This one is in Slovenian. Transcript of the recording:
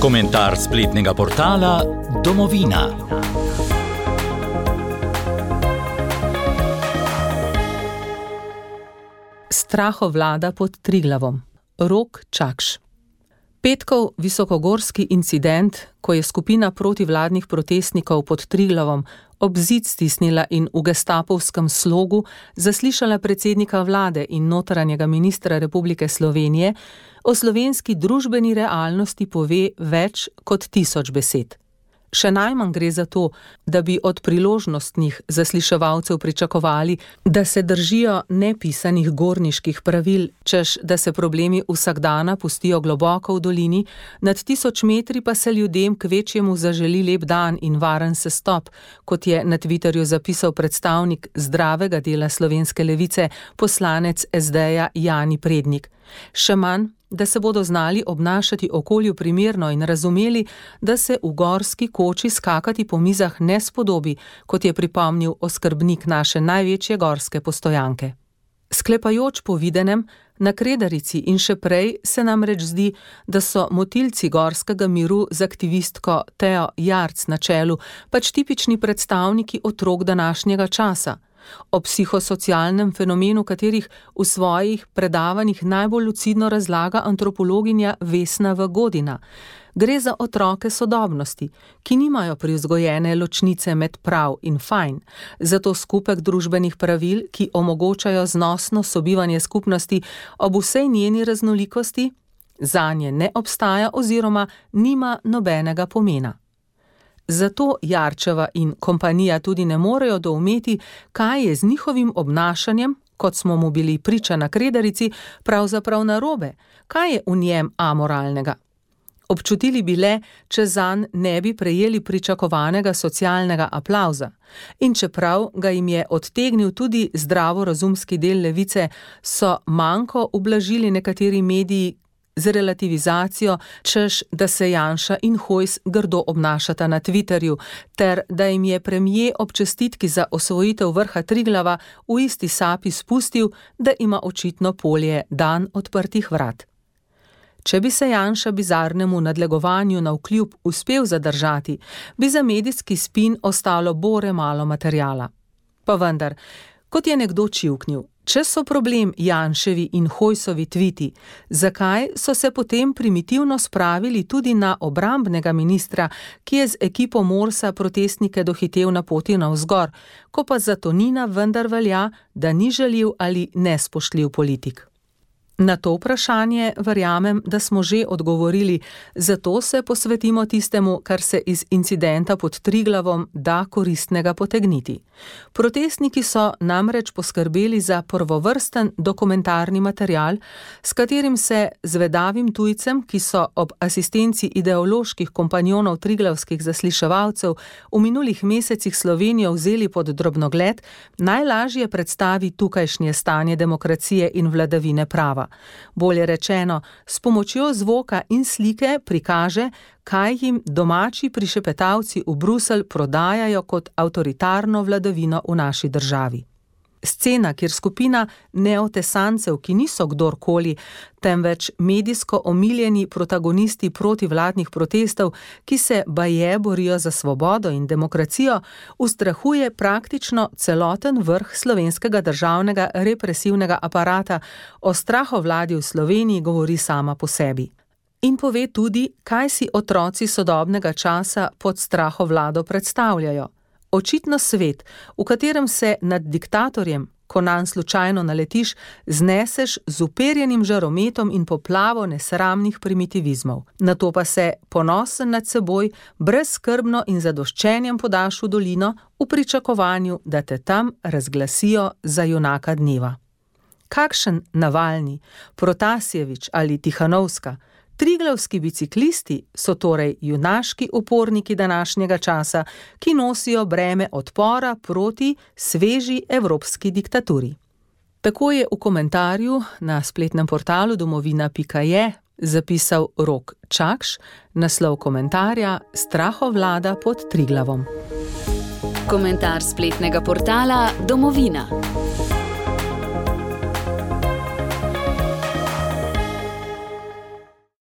Komentar spletnega portala Domovina. Strahovlada pod Triglavom. Rok Čakš. Petkov visokogorski incident, ko je skupina protivladnih protestnikov pod Triglavom ob zid stisnila in v gestapovskem slogu zaslišala predsednika vlade in notranjega ministra Republike Slovenije, o slovenski družbeni realnosti pove več kot 1000 besed. Še najmanj gre za to, da bi od priložnostnih zasliševalcev pričakovali, da se držijo nepisanih gorniških pravil, češ da se problemi vsakdana pustijo globoko v dolini, nad 1000 metri pa se ljudem kvečjemu zaželi lep dan in varen sestop, kot je na Twitterju zapisal predstavnik zdravega dela slovenske levice, poslanec SD-ja Jani Prednik. Še manj, da se bodo znali obnašati okolju primerno in razumeli, da se v gorski koči skakati po mizah ne spodobi, kot je pripomnil oskrbnik naše največje gorske postojanke. Sklepajoč po videnem, na Kredarici in še prej se namreč zdi, da so motilci gorskega miru z aktivistko Teo Jarc na čelu pač tipični predstavniki otrok današnjega časa. O psihosocialnem fenomenu katerih v svojih predavanjih najbolj lucidno razlaga antropologinja Vesna Godina. Gre za otroke sodobnosti, ki nimajo privzgojene ločnice med prav in fajn, zato skupek družbenih pravil, ki omogočajo znosno sobivanje skupnosti ob vsej njeni raznolikosti, zanje ne obstaja oziroma nima nobenega pomena. Zato Jarčeva in kompanija tudi ne morejo doumeti, kaj je z njihovim obnašanjem, kot smo mu bili priča na Kredarici, pravzaprav narobe, kaj je v njem amoralnega. Občutili bi le, če zanj ne bi prejeli pričakovanega socialnega aplavza. In čeprav ga jim je odtegnil tudi zdravorazumski del levice, so manko ublažili nekateri mediji z relativizacijo, češ da se Janša in Hojs grdo obnašata na Twitterju, ter da jim je premier ob čestitki za osvojitev vrha Triglava v isti sapi spustil, da ima očitno polje dan odprtih vrat. Če bi se Janša bizarnemu nadlegovanju navkljub uspel zadržati, bi za medijski spin ostalo bore malo materiala. Pa vendar, kot je nekdo čivknil, če so problem Janševi in Hojsovi tviti, zakaj so se potem primitivno spravili tudi na obrambnega ministra, ki je z ekipo Morsa protestnike dohitel na poti navzgor, ko pa za Tonina vendar velja, da ni žaljiv ali nespoštljiv politik? Na to vprašanje verjamem, da smo že odgovorili, zato se posvetimo tistemu, kar se iz incidenta pod Triglavom da koristnega potegniti. Protestniki so namreč poskrbeli za prvovrsten dokumentarni material, s katerim se zvedavim tujcem, ki so ob asistenci ideoloških kompanjonov triglavskih zasliševalcev v minulih mesecih Slovenijo vzeli pod drobnogled, najlažje predstavi tukajšnje stanje demokracije in vladavine prava. Bolje rečeno, s pomočjo zvoka in slike prikaže, kaj jim domači prišepetavci v Bruselj prodajajo kot avtoritarno vladavino v naši državi. Scena, kjer skupina neotesancev, ki niso kdorkoli, temveč medijsko omiljeni protagonisti protivladnih protestov, ki se baje borijo za svobodo in demokracijo, ustrahuje praktično celoten vrh slovenskega državnega represivnega aparata. O strahovladi v Sloveniji govori sama po sebi. In pove tudi, kaj si otroci sodobnega časa pod strahovlado predstavljajo. Očitno svet, v katerem se nad diktatorjem, ko nanj slučajno naletiš, zneseš z uperjenim žarometom in poplavo nesramnih primitivizmov. Nato pa se, ponosen nad seboj, brezskrbno in zadoščenjem podaš v dolino v pričakovanju, da te tam razglasijo za junaka dneva. Kakšen Navalni, Protasjevič ali Tihanovska, triglavski biciklisti so torej junaški uporniki današnjega časa, ki nosijo breme odpora proti sveži evropski diktaturi. Tako je v komentarju na spletnem portalu domovina.je zapisal Rok Čakš, naslov komentarja Strahovlada pod Triglavom. Komentar spletnega portala Domovina.